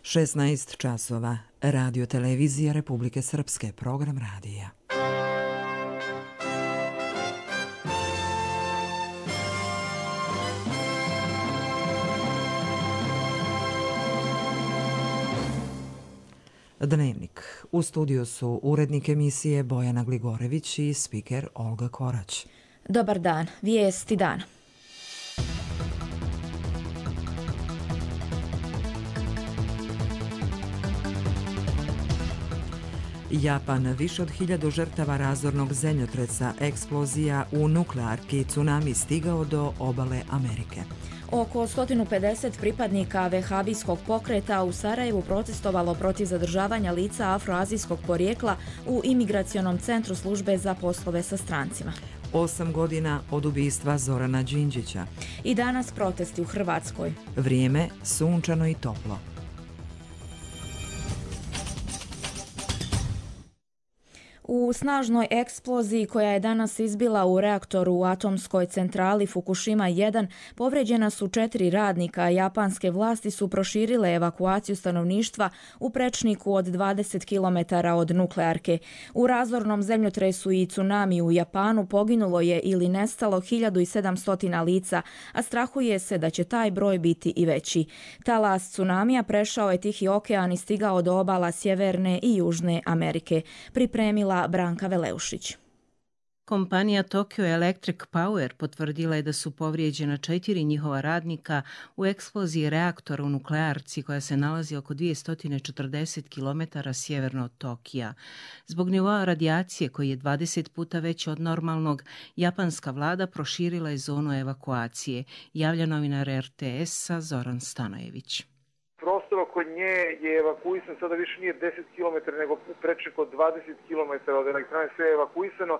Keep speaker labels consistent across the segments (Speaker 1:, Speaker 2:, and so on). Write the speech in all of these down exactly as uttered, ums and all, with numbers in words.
Speaker 1: šesnaest časova. Radio Televizija Republike Srpske. Program radija. Dnevnik. U studiju su urednik emisije Bojana Gligorević i spiker Olga Korać.
Speaker 2: Dobar dan. Vijesti dana.
Speaker 1: Japan, više od hiljadu žrtava razornog zemljotresa, eksplozija u nuklearki, tsunami stigao do obale Amerike.
Speaker 2: Oko sto pedeset pripadnika vehabijskog pokreta u Sarajevu protestovalo protiv zadržavanja lica afroazijskog porijekla u imigracionom centru službe za poslove sa strancima.
Speaker 1: Osam godina od ubistva Zorana Đinđića.
Speaker 2: I danas protesti u Hrvatskoj.
Speaker 1: Vrijeme sunčano i toplo.
Speaker 2: U snažnoj eksploziji koja je danas izbila u reaktoru u atomskoj centrali Fukushima jedan povrijeđena su četiri radnika, a japanske vlasti su proširile evakuaciju stanovništva u prečniku od dvadeset kilometara od nuklearke. U razornom zemljotresu i tsunami u Japanu poginulo je ili nestalo hiljadu sedamsto lica, a strahuje se da će taj broj biti i veći. Talas tsunamija prešao je Tihi okean i stigao do obala Sjeverne i Južne Amerike. Pripremila Branka Veleušić.
Speaker 3: Kompanija Tokyo Electric Power potvrdila je da su povrijeđena četiri njihova radnika u eksploziji reaktora u nuklearci koja se nalazi oko dvjesto četrdeset kilometara sjeverno od Tokija. Zbog nivoa radijacije koji je dvadeset puta veći od normalnog, japanska vlada proširila je zonu evakuacije, javlja novinar er te esa Zoran Stanojević.
Speaker 4: Prostor oko nje je evakuisan, sada više nije deset kilometara, nego prečnik od dvadeset kilometara od elektrane, sve je evakuisano,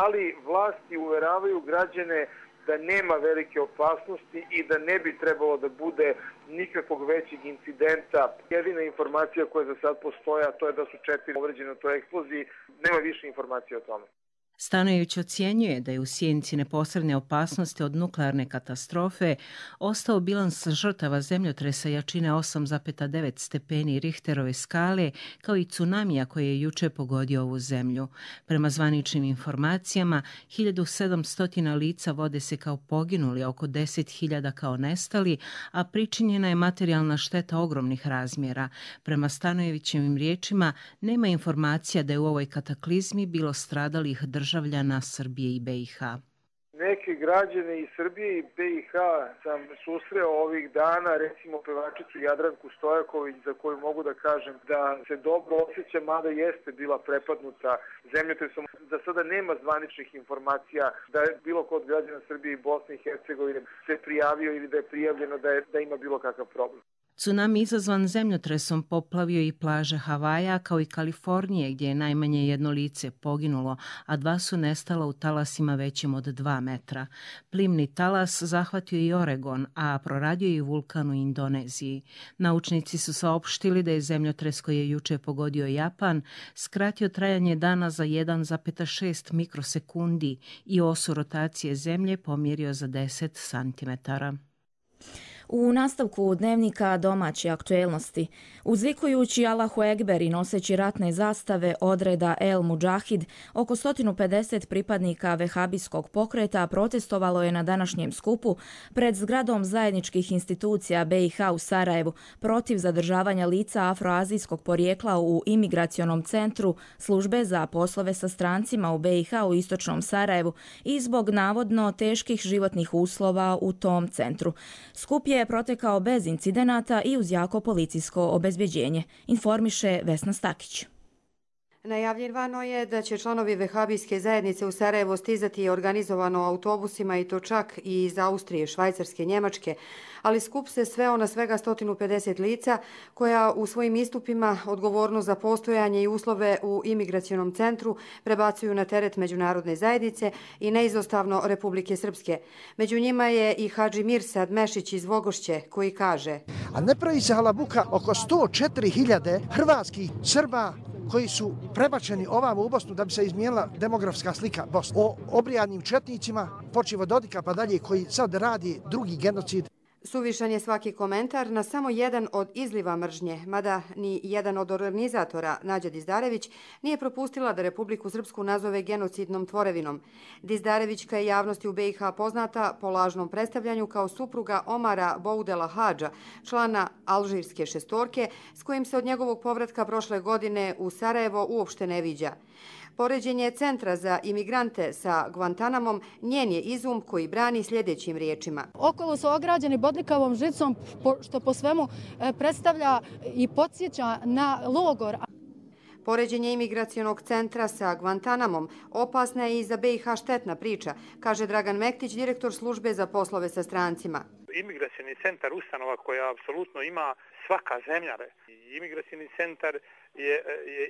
Speaker 4: ali vlasti uveravaju građane da nema velike opasnosti i da ne bi trebalo da bude nikakvog većeg incidenta. Jedina informacija koja za sad postoja, to je da su četiri povređene u toj eksploziji, nema više informacija o tome.
Speaker 3: Stanojević ocjenjuje da je u sjenci neposredne opasnosti od nuklearne katastrofe ostao bilans žrtava zemljotresa jačine osam zarez devet stepeni Richterove skale, kao i tsunamija koji je juče pogodio ovu zemlju. Prema zvaničnim informacijama, hiljadu sedamsto lica vode se kao poginuli, a oko deset hiljada kao nestali, a pričinjena je materijalna šteta ogromnih razmjera. Prema Stanojevićevim riječima, nema informacija da je u ovoj kataklizmi bilo stradalih država državljana Srbije i be i ha.
Speaker 4: Neke građane iz Srbije i be i ha sam susreo ovih dana, recimo pevačicu Jadranku Stojaković, za koju mogu da kažem da se dobro osjeća, mada jeste bila prepadnuta zemljotresom. Za sada nema zvaničnih informacija da je bilo kod građana Srbije i Bosne i Hercegovine se prijavio ili da je prijavljeno da, je, da ima bilo kakav problem.
Speaker 3: Tsunami izazvan zemljotresom poplavio i plaže Havaja kao i Kalifornije gdje je najmanje jedno lice poginulo, a dva su nestala u talasima većim od dva metra. Plimni talas zahvatio i Oregon, a proradio i vulkan u Indoneziji. Naučnici su saopštili da je zemljotres koji je juče pogodio Japan skratio trajanje dana za jedan zarez šest mikrosekundi i osu rotacije zemlje pomjerio za deset santimetara.
Speaker 2: U nastavku dnevnika domaće aktuelnosti, uzvikujući Allahu Ekber i noseći ratne zastave odreda El Mudžahid, oko sto pedeset pripadnika vehabijskog pokreta protestovalo je na današnjem skupu pred zgradom zajedničkih institucija be i ha u Sarajevu protiv zadržavanja lica afroazijskog porijekla u imigracionom centru službe za poslove sa strancima u be i ha u istočnom Sarajevu i zbog navodno teških životnih uslova u tom centru. Skup je protekao bez incidenata i uz jako policijsko obezbeđenje, informiše Vesna Stakić.
Speaker 5: Najavljivano je da će članovi vehabijske zajednice u Sarajevo stizati organizovano autobusima i to čak i iz Austrije, Švajcarske, Njemačke, ali skup se sveo na svega sto pedeset lica koja u svojim istupima odgovornost za postojanje i uslove u imigracionom centru prebacuju na teret međunarodne zajednice i neizostavno Republike Srpske. Među njima je i Hadži Mirsad Mešić iz Vogošće koji kaže:
Speaker 6: A ne pravi se halabuka oko sto četiri hiljade hrvatskih Srba koji su prebačeni ovamo u Bosnu da bi se izmijenila demografska slika Bosne. O obrijadnim četnicima, počev od Dodika pa dalje, koji sad radi drugi genocid.
Speaker 5: Suvišan je svaki komentar na samo jedan od izliva mržnje, mada ni jedan od organizatora, Nađa Dizdarević, nije propustila da Republiku Srpsku nazove genocidnom tvorevinom. Dizdarevićka je javnosti u B i H poznata po lažnom predstavljanju kao supruga Omara Boudela Hadža, člana alžirske šestorke, s kojim se od njegovog povratka prošle godine u Sarajevo uopšte ne viđa. Poređenje Centra za imigrante sa Guantanamom njen je izum koji brani sljedećim riječima.
Speaker 7: Okolo su ograđeni bodljikavom žicom, što po svemu predstavlja i podsjeća na logor.
Speaker 5: Poređenje imigracionog centra sa Guantanamom opasna je i za B i H štetna priča, kaže Dragan Mektić, direktor službe za poslove sa strancima.
Speaker 8: Imigracioni centar ustanova koja apsolutno ima svaka zemlja. Imigracioni centar je,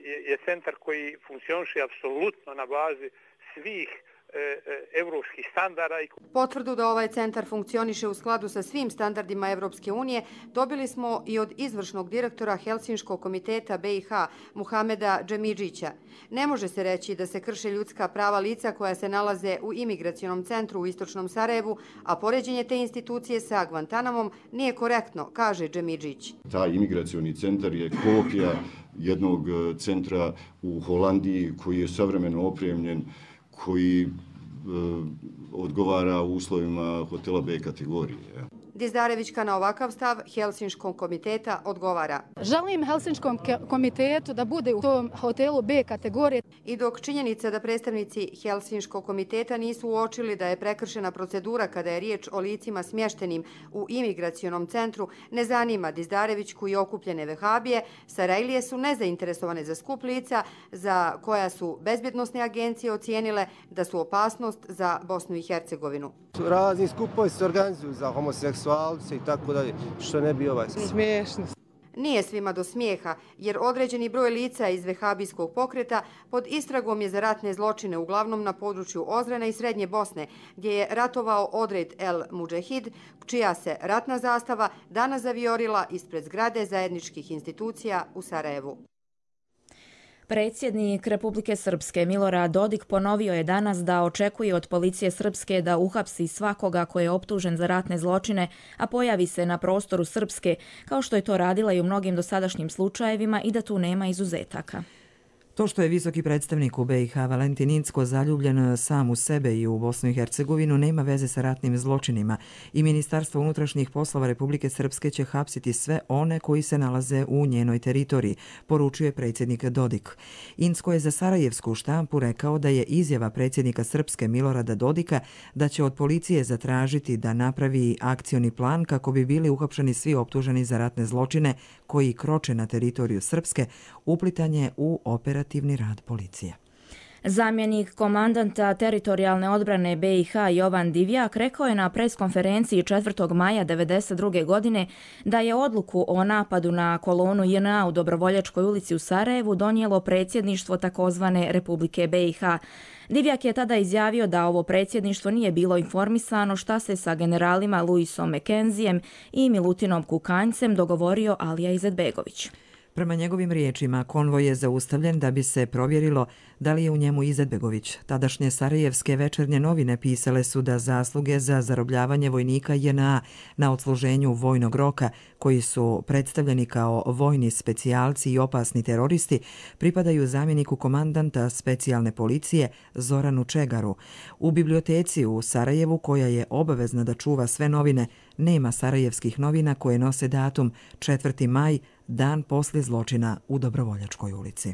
Speaker 8: je, je centar koji funkcioniše apsolutno na bazi svih evropskih standarda.
Speaker 5: Potvrdu da ovaj centar funkcioniše u skladu sa svim standardima Evropske unije dobili smo i od izvršnog direktora Helsinškog komiteta B i H Muhameda Džemidžića. Ne može se reći da se krše ljudska prava lica koja se nalaze u imigracionom centru u istočnom Sarajevu, a poređenje te institucije sa Guantanamom nije korektno, kaže Džemidžić.
Speaker 9: Taj imigracioni centar je kopija jednog centra u Holandiji koji je savremeno opremljen, koji e, odgovara uslovima hotela B kategorije.
Speaker 5: Dizdarevićka na ovakav stav Helsinškog komiteta odgovara.
Speaker 7: Želim Helsinškom komitetu da bude u tom hotelu B kategorije.
Speaker 5: I dok činjenica da predstavnici Helsinškog komiteta nisu uočili da je prekršena procedura kada je riječ o licima smještenim u imigracionom centru, ne zanima Dizdarevićku i okupljene vehabije, Sarajlije su nezainteresovane za skup lica za koja su bezbjednosne agencije ocijenile da su opasnost za Bosnu i Hercegovinu.
Speaker 10: Razni skupovi se organizuju za homoseksualce i tako dalje, što ne bi ovaj
Speaker 5: smiješno. Nije svima do smijeha, jer određeni broj lica iz vehabijskog pokreta pod istragom je za ratne zločine uglavnom na području Ozrena i Srednje Bosne, gdje je ratovao odred El Mudžahid, čija se ratna zastava danas zavijorila ispred zgrade zajedničkih institucija u Sarajevu.
Speaker 2: Predsjednik Republike Srpske Milorad Dodik ponovio je danas da očekuje od policije Srpske da uhapsi svakoga ko je optužen za ratne zločine, a pojavi se na prostoru Srpske, kao što je to radila i u mnogim dosadašnjim slučajevima, i da tu nema izuzetaka.
Speaker 1: To što je visoki predstavnik u B i H Valentin Incko zaljubljen sam u sebe i u Bosnu i Hercegovinu nema veze sa ratnim zločinima i Ministarstvo unutrašnjih poslova Republike Srpske će hapsiti sve one koji se nalaze u njenoj teritoriji, poručuje predsjednik Dodik. Incko je za sarajevsku štampu rekao da je izjava predsjednika Srpske Milorada Dodika da će od policije zatražiti da napravi akcioni plan kako bi bili uhapšeni svi optuženi za ratne zločine koji kroče na teritoriju Srpske, uplitanje u operativni rad policije.
Speaker 2: Zamjenik komandanta teritorijalne odbrane B i H Jovan Divjak rekao je na preskonferenciji četvrtog maja devedeset druge godine da je odluku o napadu na kolonu J N A u Dobrovoljačkoj ulici u Sarajevu donijelo predsjedništvo takozvane Republike B i H. Divjak je tada izjavio da ovo predsjedništvo nije bilo informisano šta se sa generalima Luisom Mekenzijem i Milutinom Kukanjcem dogovorio Alija Izetbegović.
Speaker 1: Prema njegovim riječima, konvoj je zaustavljen da bi se provjerilo da li je u njemu Izetbegović. Tadašnje sarajevske večernje novine pisale su da zasluge za zarobljavanje vojnika J N A na odsluženju vojnog roka, koji su predstavljeni kao vojni specijalci i opasni teroristi, pripadaju zamjeniku komandanta specijalne policije Zoranu Čegaru. U biblioteci u Sarajevu, koja je obavezna da čuva sve novine, nema sarajevskih novina koje nose datum četvrti maj, dan poslije zločina u Dobrovoljačkoj ulici.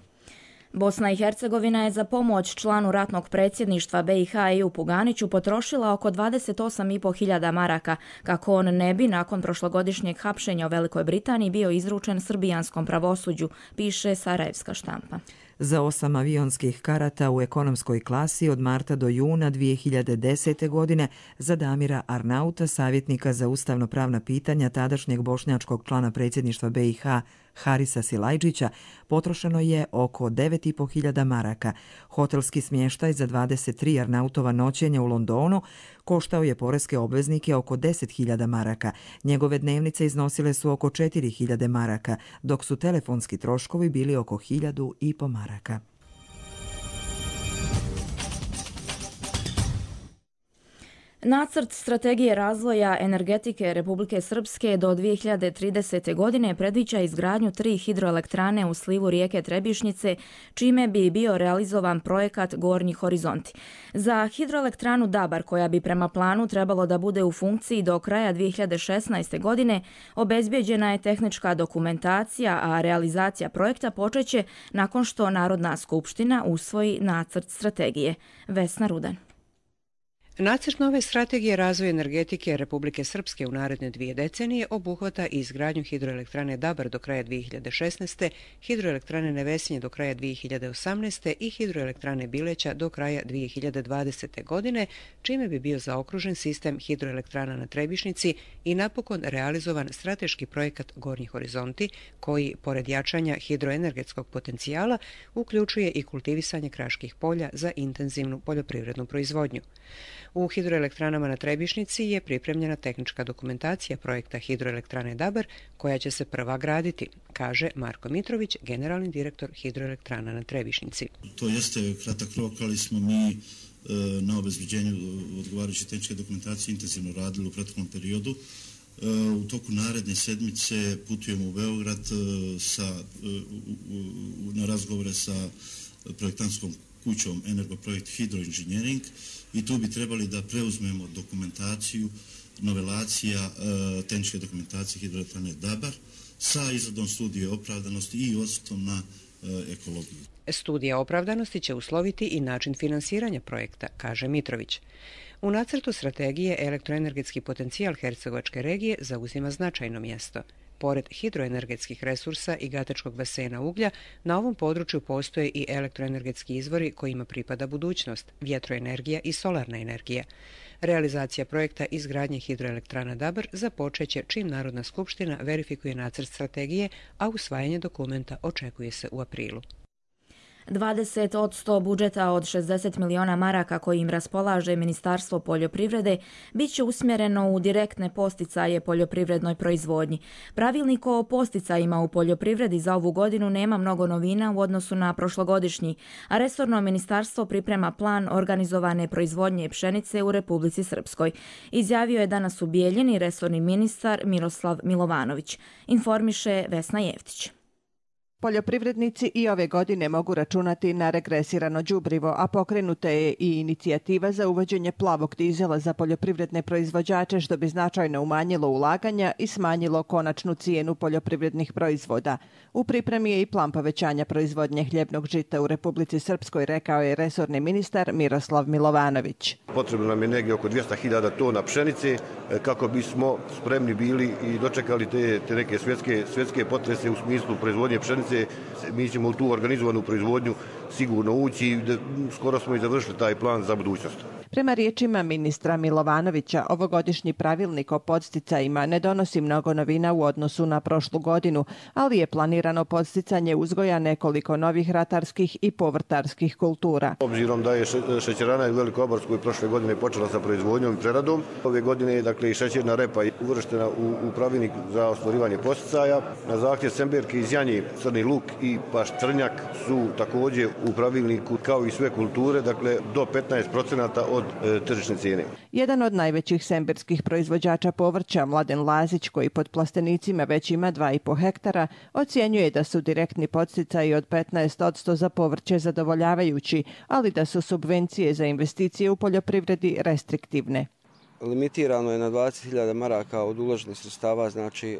Speaker 2: Bosna i Hercegovina je za pomoć članu ratnog predsjedništva B i H Ejupu Ganiću potrošila oko dvadeset osam i po hiljada maraka, kako on ne bi nakon prošlogodišnjeg hapšenja u Velikoj Britaniji bio izručen srbijanskom pravosuđu, piše sarajevska štampa.
Speaker 1: Za osam avionskih karata u ekonomskoj klasi od marta do juna dvije hiljade desete. godine za Damira Arnauta, savjetnika za ustavno-pravna pitanja tadašnjeg bošnjačkog člana predsjedništva B i H Harisa Silajđića, potrošeno je oko devet i po hiljada maraka. Hotelski smještaj za dvadeset tri Arnautova noćenja u Londonu koštao je poreske obveznike oko deset hiljada maraka. Njegove dnevnice iznosile su oko četiri hiljade maraka, dok su telefonski troškovi bili oko hiljadu i po maraka.
Speaker 2: Nacrt strategije razvoja energetike Republike Srpske do dvije hiljade tridesete. godine predviđa izgradnju tri hidroelektrane u slivu rijeke Trebišnjice, čime bi bio realizovan projekat Gornji horizonti. Za hidroelektranu Dabar, koja bi prema planu trebalo da bude u funkciji do kraja dvije hiljade šesnaeste. godine, obezbjeđena je tehnička dokumentacija, a realizacija projekta počeće nakon što Narodna skupština usvoji nacrt strategije. Vesna Rudan.
Speaker 11: Nacrt nove strategije razvoja energetike Republike Srpske u naredne dvije decenije obuhvata izgradnju hidroelektrane Dabar do kraja dvije hiljade šesnaeste. hidroelektrane Nevesinje do kraja dvije hiljade osamnaeste. i hidroelektrane Bileća do kraja dvije hiljade dvadesete. godine, čime bi bio zaokružen sistem hidroelektrana na Trebišnjici i napokon realizovan strateški projekat Gornji horizonti, koji, pored jačanja hidroenergetskog potencijala, uključuje i kultivisanje kraških polja za intenzivnu poljoprivrednu proizvodnju. U hidroelektranama na Trebišnjici je pripremljena tehnička dokumentacija projekta hidroelektrane Dabar, koja će se prva graditi, kaže Marko Mitrović, generalni direktor hidroelektrana na Trebišnjici.
Speaker 12: To jeste kratak rok, ali smo mi na obezbeđenju odgovarajuće tehničke dokumentacije intenzivno radili u proteklom periodu. U toku naredne sedmice putujemo u Beograd sa, na razgovore sa projektantskom kućom Energoprojekt Hidroinženjering i tu bi trebali da preuzmemo dokumentaciju, novelacija e, tehničke dokumentacije hidroelektrane Dabar sa izradom studije opravdanosti i osvrtom na e, ekologiju.
Speaker 11: Studija opravdanosti će usloviti i način finansiranja projekta, kaže Mitrović. U nacrtu strategije elektroenergetski potencijal Hercegovačke regije zauzima značajno mjesto. Pored hidroenergetskih resursa i Gatečkog basena uglja, na ovom području postoje i elektroenergetski izvori kojima pripada budućnost, vjetroenergija i solarna energija. Realizacija projekta izgradnje hidroelektrana Dabar započeće čim Narodna skupština verifikuje nacrt strategije, a usvajanje dokumenta očekuje se u aprilu.
Speaker 2: dvadeset posto budžeta od šezdeset miliona maraka kojim raspolaže Ministarstvo poljoprivrede bit će usmjereno u direktne posticaje poljoprivrednoj proizvodnji. Pravilnik o posticajima u poljoprivredi za ovu godinu nema mnogo novina u odnosu na prošlogodišnji, a resorno ministarstvo priprema plan organizovane proizvodnje pšenice u Republici Srpskoj. Izjavio je danas u Bijeljini resorni ministar Miroslav Milovanović. Informiše Vesna Jeftić.
Speaker 13: Poljoprivrednici i ove godine mogu računati na regresirano đubrivo, a pokrenuta je i inicijativa za uvođenje plavog dizela za poljoprivredne proizvođače, što bi značajno umanjilo ulaganja i smanjilo konačnu cijenu poljoprivrednih proizvoda. U pripremi je i plan povećanja proizvodnje hljebnog žita u Republici Srpskoj, rekao je resorni ministar Miroslav Milovanović.
Speaker 14: Potrebno nam je negdje oko dvjesto hiljada tona pšenice kako bismo spremni bili i dočekali te, te neke svjetske, svjetske potrese u smislu proizvodnje pšenice. Mi ćemo u tu organizovanu proizvodnju sigurno ući i skoro smo i završili taj plan za budućnost.
Speaker 13: Prema riječima ministra Milovanovića, ovogodišnji pravilnik o podsticajima ne donosi mnogo novina u odnosu na prošlu godinu, ali je planirano podsticanje uzgoja nekoliko novih ratarskih i povrtarskih kultura.
Speaker 14: Obzirom da je šećerana u Velikoborskoj prošle godine počela sa proizvodnjom i preradom, ove godine je dakle i šećerna repa uvrštena u, u pravilnik za ostvarivanje podsticaja. Na zahtjev Semberke iz Janje, crni luk i paštrnjak su također u pravilniku kao i sve kulture, dakle do petnaest procenata od e, tržišne cijene.
Speaker 13: Jedan od najvećih semberskih proizvođača povrća, Mladen Lazić, koji pod plastenicima već ima dva i po hektara, ocjenjuje da su direktni podsticaji od petnaest posto za povrće zadovoljavajući, ali da su subvencije za investicije u poljoprivredi restriktivne.
Speaker 15: Limitirano je na dvadeset hiljada maraka od uloženih sredstava, znači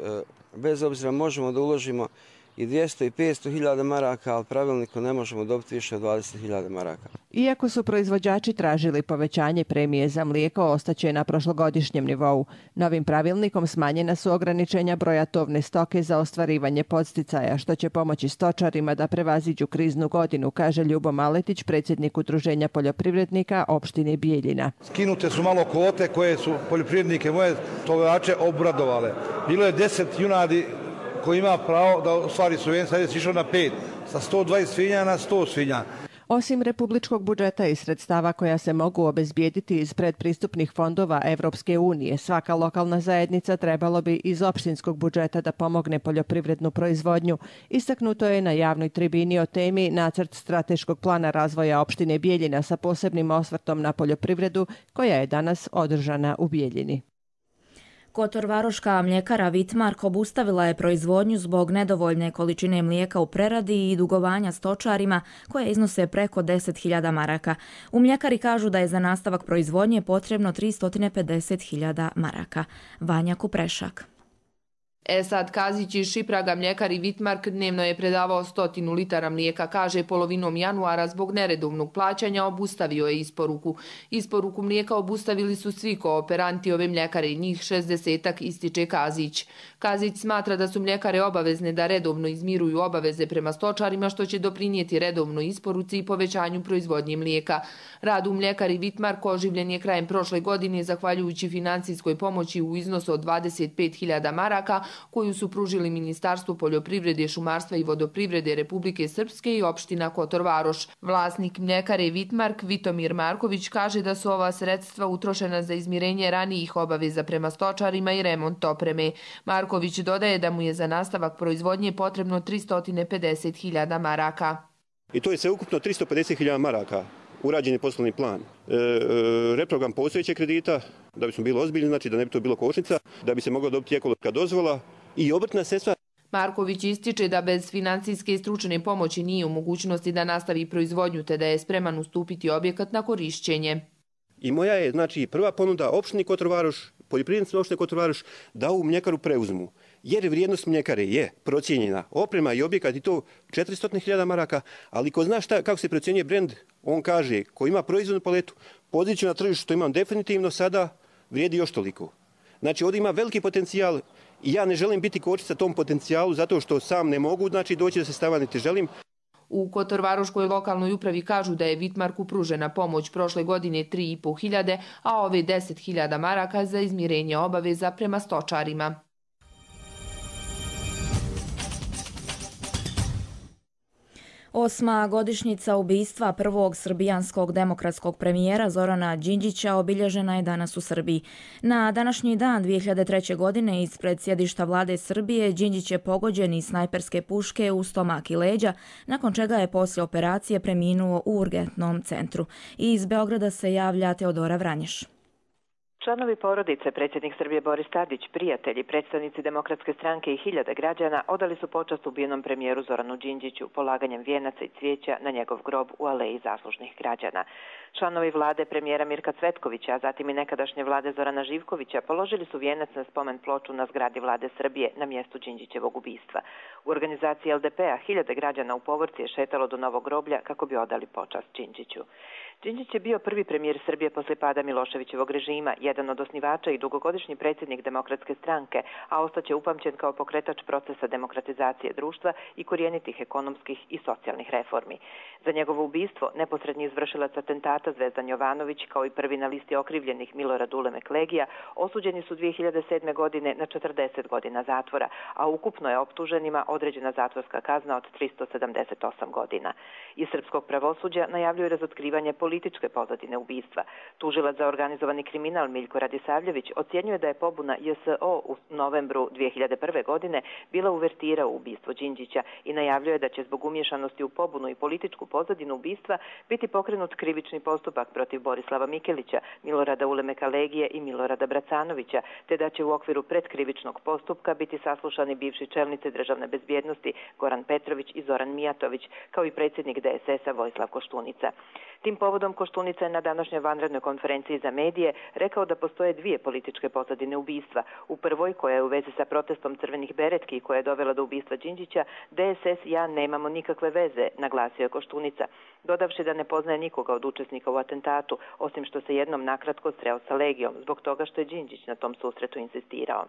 Speaker 15: bez obzira možemo da uložimo i dvjesto i petsto hiljada maraka, ali pravilnikom ne možemo dobiti više od dvadeset hiljada maraka.
Speaker 13: Iako su proizvođači tražili povećanje premije za mlijeko, ostaće na prošlogodišnjem nivou. Novim pravilnikom smanjena su ograničenja broja tovne stoke za ostvarivanje podsticaja, što će pomoći stočarima da prevaziđu kriznu godinu, kaže Ljubo Maletić, predsjednik Udruženja poljoprivrednika opštine Bijeljina.
Speaker 16: Skinute su malo kvote koje su poljoprivrednike, moje tovače, obradovale. Bilo je deset junadi koji ima pravo da ostvari subvencije, sad je išao na pet, sa sto dvadeset svinja na sto svinja.
Speaker 13: Osim republičkog budžeta i sredstava koja se mogu obezbijediti iz predpristupnih fondova Evropske unije, svaka lokalna zajednica trebalo bi iz opštinskog budžeta da pomogne poljoprivrednu proizvodnju. Istaknuto je na javnoj tribini o temi Nacrt strateškog plana razvoja opštine Bijeljina sa posebnim osvrtom na poljoprivredu, koja je danas održana u Bijeljini.
Speaker 2: Kotorvaroška mljekara Vitmark obustavila je proizvodnju zbog nedovoljne količine mlijeka u preradi i dugovanja stočarima koje iznose preko deset hiljada maraka. U mljekari kažu da je za nastavak proizvodnje potrebno tristo pedeset hiljada maraka. Vanja Kuprešak.
Speaker 17: Esad Kazić iz Šipraga mljekari Vitmark dnevno je predavao stotinu litara mlijeka, kaže polovinom januara zbog neredovnog plaćanja obustavio je isporuku. Isporuku mlijeka obustavili su svi kooperanti ove mljekare i njih šezdesetak, ističe Kazić. Kazić smatra da su mljekare obavezne da redovno izmiruju obaveze prema stočarima, što će doprinijeti redovnoj isporuci i povećanju proizvodnje mlijeka. Rad u mljekari Vitmark oživljen je krajem prošle godine zahvaljujući financijskoj pomoći u iznosu od dvadeset pet hiljada maraka, koju su pružili Ministarstvo poljoprivrede, šumarstva i vodoprivrede Republike Srpske i opština Kotorvaroš. Vlasnik mljekare Vitmark, Vitomir Marković, kaže da su ova sredstva utrošena za izmirenje ranijih obaveza prema stočarima i remont opreme. Marković dodaje da mu je za nastavak proizvodnje potrebno tristo pedeset hiljada maraka.
Speaker 18: I to je sve ukupno tristo pedeset hiljada maraka. Urađen je poslovni plan. E, e, reprogram postojećeg kredita, da bismo bili ozbiljni, znači da ne bi to bilo kočnica, da bi se mogla dobiti ekološka dozvola i obrtna sredstva.
Speaker 17: Marković ističe da bez financijske i stručne pomoći nije u mogućnosti da nastavi proizvodnju, te da je spreman ustupiti objekat na korišćenje.
Speaker 18: I moja je znači prva ponuda opštini Kotorvaroš, poljoprivrednicima opštine Kotorvaroš, da ovu mljekaru preuzmu. Jer vrijednost mljekare je procijenjena, oprema i objekat i to četiristo hiljada maraka, ali ko zna šta, kako se procjenjuje brend, on kaže ko ima proizvodnu paletu, poziciju na tržištu što imam definitivno sada vrijedi još toliko. Znači ovdje ima veliki potencijal i ja ne želim biti kočnica tom potencijalu zato što sam ne mogu znači doći do sredstava niti želim.
Speaker 17: U Kotorvaroškoj lokalnoj upravi kažu da je Vitmarku pružena pomoć prošle godine tri i po hiljade, a ove deset hiljada maraka za izmirenje obaveza prema stočarima.
Speaker 2: Osma godišnjica ubistva prvog srbijanskog demokratskog premijera Zorana Đinđića obilježena je danas u Srbiji. Na današnji dan dvije hiljade treće. godine ispred sjedišta vlade Srbije Đinđić je pogođen iz snajperske puške u stomak i leđa, nakon čega je poslije operacije preminuo u urgentnom centru. Iz Beograda se javlja Teodora Vranješ.
Speaker 19: Članovi porodice, predsjednik Srbije Boris Tadić, prijatelji, predstavnici Demokratske stranke i hiljade građana odali su počast ubijenom premijeru Zoranu Đinđiću polaganjem vijenaca i cvijeća na njegov grob u aleji zaslužnih građana. Članovi vlade premijera Mirka Cvetkovića, a zatim i nekadašnje vlade Zorana Živkovića položili su vijenac na spomen ploču na zgradi vlade Srbije na mjestu Đinđićevog ubistva. U organizaciji L D P-a hiljade građana u povorci je šetalo do novog groblja kako bi odali počast Đinđiću. Đinđić je bio prvi premijer Srbije posle pada Miloševićevog režima, jedan od osnivača i dugogodišnji predsjednik Demokratske stranke, a ostaće upamćen kao pokretač procesa demokratizacije društva i korijenitih ekonomskih i socijalnih reformi. Za njegovo ubistvo neposredni izvršilac atentata Zvezdan Jovanović, kao i prvi na listi okrivljenih Milorad Ulemek Legija, osuđeni su dvije hiljade sedme. godine na četrdeset godina zatvora, a ukupno je optuženima određena zatvorska kazna od tristo sedamdeset osam godina. Iz srpskog pravosuđa najavljuju razotkrivanje političke pozadine ubistva. Tužilac za organizovani kriminal Miljko Radisavljević ocjenjuje da je pobuna J S O u novembru dvije hiljade prve. godine bila uvertira u ubistvo Đinđića i najavljuje da će zbog umješanosti u pobunu i političku pozadinu ubistva biti pokrenut krivični postupak protiv Borislava Mikelića, Milorada Ulemeka Legije i Milorada Bracanovića, te da će u okviru predkrivičnog postupka biti saslušani bivši čelnici državne bezbjednosti Goran Petrović i Zoran Mijatović, kao i predsjednik D S S-a Vojislav Koštunica. Tim povodom Koštunica je na današnjoj vanrednoj konferenciji za medije rekao da postoje dvije političke pozadine ubistva. U prvoj, koja je u vezi sa protestom crvenih beretki koja je dovela do ubistva Đinđića, D S S i ja nemamo nikakve veze, naglasio je Koštunica, dodavši da ne poznaje nikoga od učesnika u atentatu, osim što se jednom nakratko sreo sa Legijom, zbog toga što je Đinđić na tom susretu insistirao.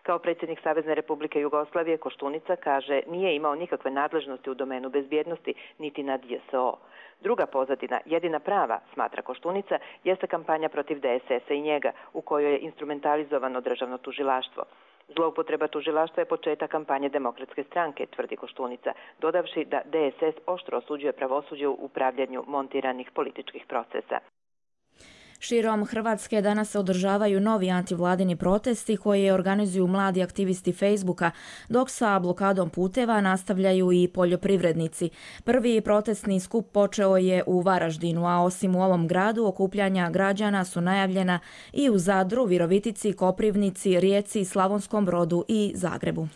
Speaker 19: Kao predsjednik Savezne Republike Jugoslavije, Koštunica kaže nije imao nikakve nadležnosti u domenu bezbjednosti, niti nad J S O. Druga pozadina, jedina prava, smatra Koštunica, jeste kampanja protiv D S S-a i njega, u kojoj je instrumentalizovano državno tužilaštvo. Zloupotreba tužilaštva je početak kampanje Demokratske stranke, tvrdi Koštunica, dodavši da D S S oštro osuđuje pravosuđe u upravljanju montiranih političkih procesa.
Speaker 2: Širom Hrvatske danas se održavaju novi antivladini protesti koje organizuju mladi aktivisti Facebooka, dok sa blokadom puteva nastavljaju i poljoprivrednici. Prvi protestni skup počeo je u Varaždinu, a osim u ovom gradu okupljanja građana su najavljena i u Zadru, Virovitici, Koprivnici, Rijeci, Slavonskom Brodu i Zagrebu.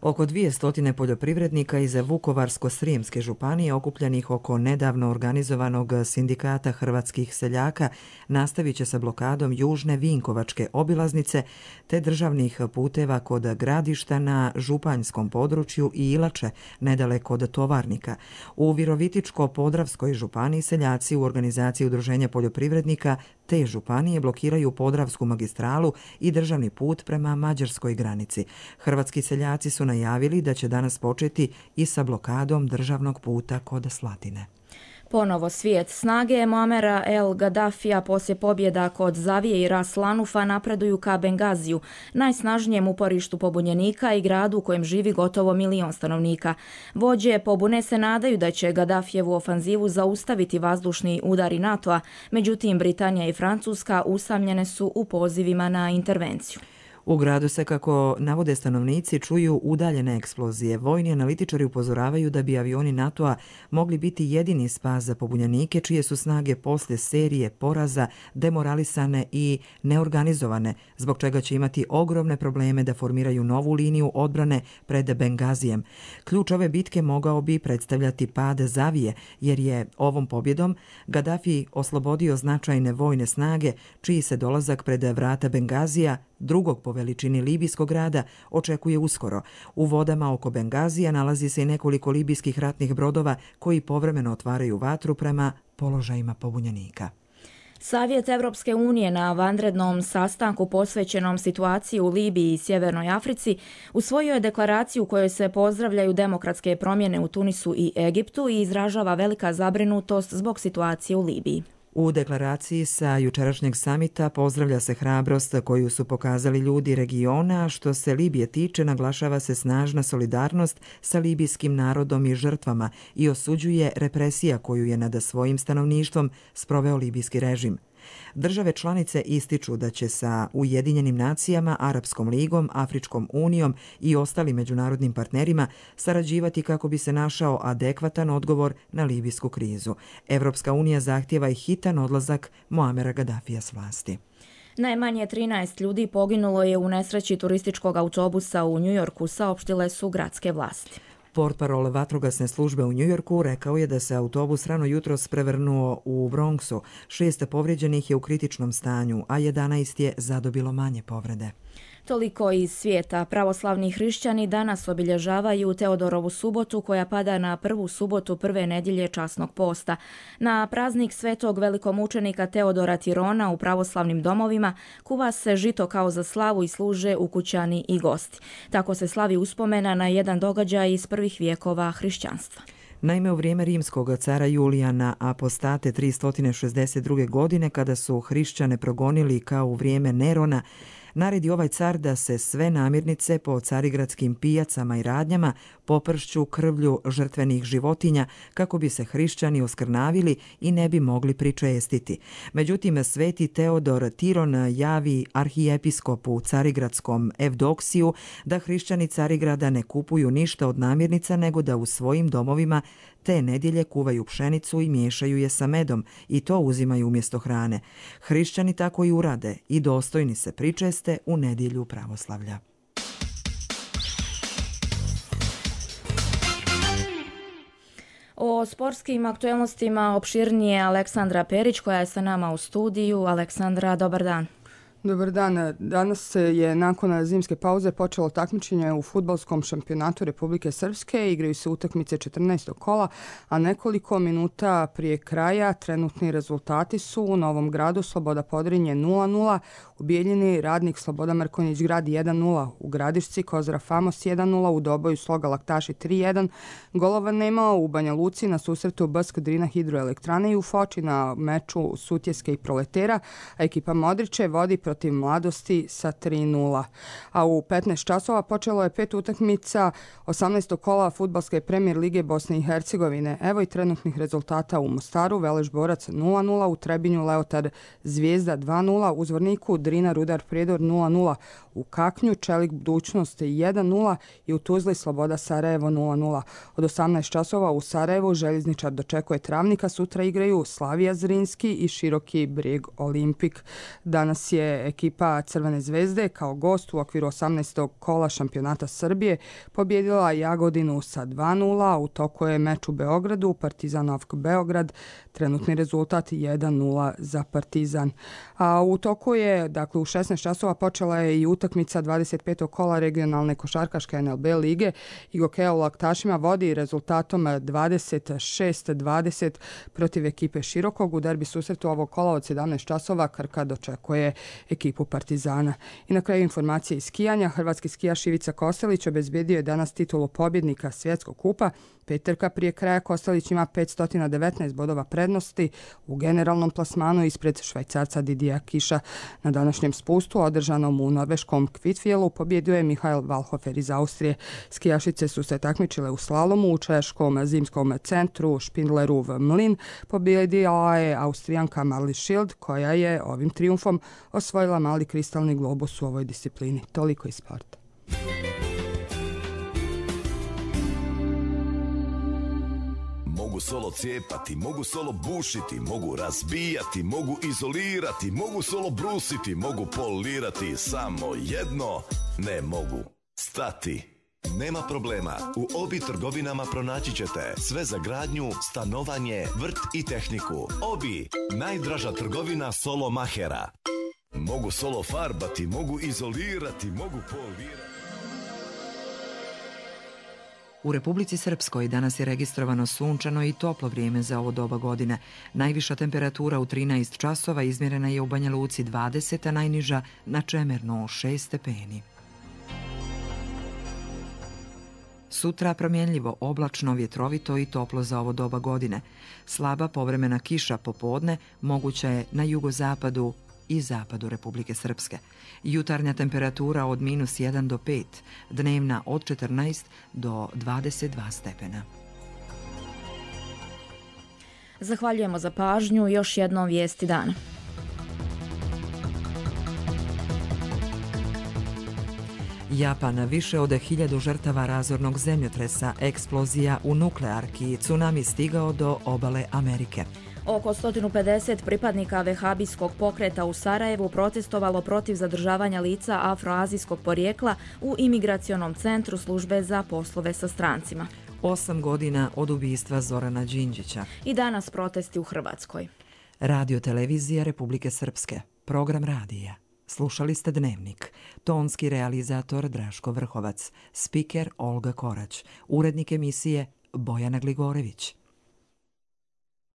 Speaker 1: Oko dvije poljoprivrednika iz Vukovarsko-srijemske županije okupljenih oko nedavno organizovanog sindikata hrvatskih seljaka nastavit će sa blokadom južne Vinkovačke obilaznice te državnih puteva kod Gradišta na županjskom području i Ilače, nedaleko od Tovarnika. U Virovitičko-podravskoj županiji seljaci u organizaciji udruženja poljoprivrednika te županije blokiraju Podravsku magistralu i državni put prema mađarskoj granici. Hrvatski seljaci su najavili da će danas početi i sa blokadom državnog puta kod Slatine.
Speaker 2: Ponovo svijet. Snage Muamera el Gaddafija poslije pobjeda kod Zavije i Ras Lanufa napreduju ka Bengaziju, najsnažnijem uporištu pobunjenika i gradu u kojem živi gotovo milion stanovnika. Vođe pobune se nadaju da će Gaddafijevu ofanzivu zaustaviti vazdušni udari NATO-a, međutim Britanija i Francuska usamljene su u pozivima na intervenciju.
Speaker 1: U gradu se, kako navode stanovnici, čuju udaljene eksplozije. Vojni analitičari upozoravaju da bi avioni NATO-a mogli biti jedini spas za pobunjenike, čije su snage poslije serije poraza demoralisane i neorganizovane, zbog čega će imati ogromne probleme da formiraju novu liniju odbrane pred Bengazijem. Ključ ove bitke mogao bi predstavljati pad Zavije, jer je ovom pobjedom Gaddafi oslobodio značajne vojne snage, čiji se dolazak pred vrata Bengazija, drugog po veličini libijskog grada, očekuje uskoro. U vodama oko Bengazija nalazi se i nekoliko libijskih ratnih brodova koji povremeno otvaraju vatru prema položajima pobunjenika.
Speaker 2: Savjet Evropske unije na vanrednom sastanku posvećenom situaciji u Libiji i Sjevernoj Africi usvojio je deklaraciju u kojoj se pozdravljaju demokratske promjene u Tunisu i Egiptu i izražava velika zabrinutost zbog situacije u Libiji.
Speaker 1: U deklaraciji sa jučerašnjeg samita pozdravlja se hrabrost koju su pokazali ljudi regiona, a što se Libije tiče naglašava se snažna solidarnost sa libijskim narodom i žrtvama i osuđuje represija koju je nad svojim stanovništvom sproveo libijski režim. Države članice ističu da će sa Ujedinjenim nacijama, Arapskom ligom, Afričkom unijom i ostalim međunarodnim partnerima sarađivati kako bi se našao adekvatan odgovor na libijsku krizu. Evropska unija zahtijeva i hitan odlazak Muamera Gaddafija s vlasti.
Speaker 2: Najmanje trinaest ljudi poginulo je u nesreći turističkog autobusa u Njujorku, saopštile su gradske vlasti.
Speaker 1: Portparol vatrogasne službe u Njujorku rekao je da se autobus rano jutros prevrnuo u Bronxu. Šest povrijeđenih je u kritičnom stanju, a jedanaest je zadobilo manje povrede.
Speaker 2: Toliko iz svijeta. Pravoslavni hrišćani danas obilježavaju Teodorovu subotu koja pada na prvu subotu prve nedjelje časnog posta. Na praznik svetog velikomučenika Teodora Tirona u pravoslavnim domovima kuva se žito kao za slavu i služe ukućani i gosti. Tako se slavi uspomena na jedan događaj iz prvih vijekova hrišćanstva.
Speaker 1: Naime, u vrijeme rimskog cara Julijana Apostate tristo šezdeset druge. godine, kada su hrišćane progonili kao u vrijeme Nerona, naredi ovaj car da se sve namirnice po carigradskim pijacama i radnjama popršću krvlju žrtvenih životinja kako bi se hrišćani oskrnavili i ne bi mogli pričestiti. Međutim, sveti Teodor Tiron javi arhijepiskopu carigradskom Evdoksiju da hrišćani Carigrada ne kupuju ništa od namirnica, nego da u svojim domovima te nedjelje kuvaju pšenicu i miješaju je sa medom i to uzimaju umjesto hrane. Hrišćani tako i urade i dostojni se pričeste u nedjelju pravoslavlja.
Speaker 2: O sportskim aktualnostima opširnije Aleksandra Perić koja je sa nama u studiju. Aleksandra, dobar dan.
Speaker 20: Dobar dan. Danas je nakon zimske pauze počelo takmičenje u fudbalskom šampionatu Republike Srpske. Igraju se utakmice četrnaestog kola, a nekoliko minuta prije kraja trenutni rezultati su u Novom Gradu Sloboda Podrinje nula nula, u Bijeljini Radnik Sloboda Mrkonjić Grad jedan nula, u Gradišci Kozara Famos jedan nula, u Doboju Sloga Laktaši tri jedan, golova nema u Banja Luci na susretu Bsk Drina Hidroelektrane i u Foči na meču Sutjeske i Proletera, a ekipa Modriće vodi protiv protiv Mladosti sa tri nula. A u petnaest časova počelo je pet utakmica osamnaestog kola fudbalske premijer lige Bosne i Hercegovine. Evo i trenutnih rezultata u Mostaru: Veleš Borac nula nula, u Trebinju Leotar Zvijezda dva nula, u Zvorniku Drina Rudar Prijedor nula nula, u Kaknju Čelik Budućnost jedan nula i u Tuzli Sloboda Sarajevo nula nula. Od osamnaest časova u Sarajevu Željezničar dočekuje Travnika, sutra igraju Slavija Zrinski i Široki Brijeg Olimpik. Danas je ekipa Crvene zvezde kao gost u okviru osamnaestog kola šampionata Srbije pobjedila Jagodinu sa dva nula, u toku je meč u Beogradu, Partizan Novk Beograd, trenutni rezultat jedan nula za Partizan. A u toku je, dakle u šesnaest časova počela je i utakmica dvadeset petog kola regionalne košarkaške N L B lige. Igokeja u Laktašima vodi rezultatom dvadeset šest dvadeset protiv ekipe Širokog. U derbi susretu ovog kola od sedamnaest časova Krka dočekuje ekipu Partizana. I na kraju informacije iz skijanja. Hrvatski skijaš Ivica Kostelić obezbedio je danas titulu pobjednika svjetskog kupa. Peterka prije kraja Kostelić ima petsto devetnaest bodova prednosti u generalnom plasmanu ispred Švajcarca Didija Kiša. Na današnjem spustu, održanom u norveškom Kvitfjelu, pobjedio je Mihael Valhofer iz Austrije. Skijašice su se takmičile u slalomu u češkom zimskom centru Špindlerov mlin. Pobjedila je Austrijanka Marli Schild, koja je ovim trijumfom osvojila mali kristalni globus u ovoj disciplini. Toliko iz sporta.
Speaker 21: Mogu solo cijepati, mogu solo bušiti, mogu razbijati, mogu izolirati, mogu solo brusiti, mogu polirati, samo jedno ne mogu stati. Nema problema, u Obi trgovinama pronaći ćete sve za gradnju, stanovanje, vrt i tehniku. Obi, najdraža trgovina solo mahera. Mogu solo farbati, mogu izolirati, mogu polirati.
Speaker 1: U Republici Srpskoj danas je registrovano sunčano i toplo vrijeme za ovo doba godine. Najviša temperatura u trinaest časova izmjerena je u Banja Luci dvadeset, a najniža na Čemernu šest stepeni. Sutra promjenljivo, oblačno, vjetrovito i toplo za ovo doba godine. Slaba povremena kiša popodne moguća je na jugozapadu i zapadu Republike Srpske. Jutarnja temperatura od minus jedan do pet, dnevna od četrnaest do dvadeset dva stepena.
Speaker 2: Zahvaljujemo za pažnju. Još jednom vijesti dana.
Speaker 1: Japan, više od hiljadu žrtava razornog zemljotresa, eksplozija u nuklearki, tsunami stigao do obale Amerike.
Speaker 2: Oko sto pedeset pripadnika vehabijskog pokreta u Sarajevu protestovalo protiv zadržavanja lica afroazijskog porijekla u imigracionom centru službe za poslove sa strancima.
Speaker 1: Osam godina od ubistva Zorana Đinđića.
Speaker 2: I danas protesti u Hrvatskoj.
Speaker 1: Radio televizija Republike Srpske. Program radija. Slušali ste Dnevnik. Tonski realizator Draško Vrhovac. Spiker Olga Korać. Urednik emisije Bojana Gligorević.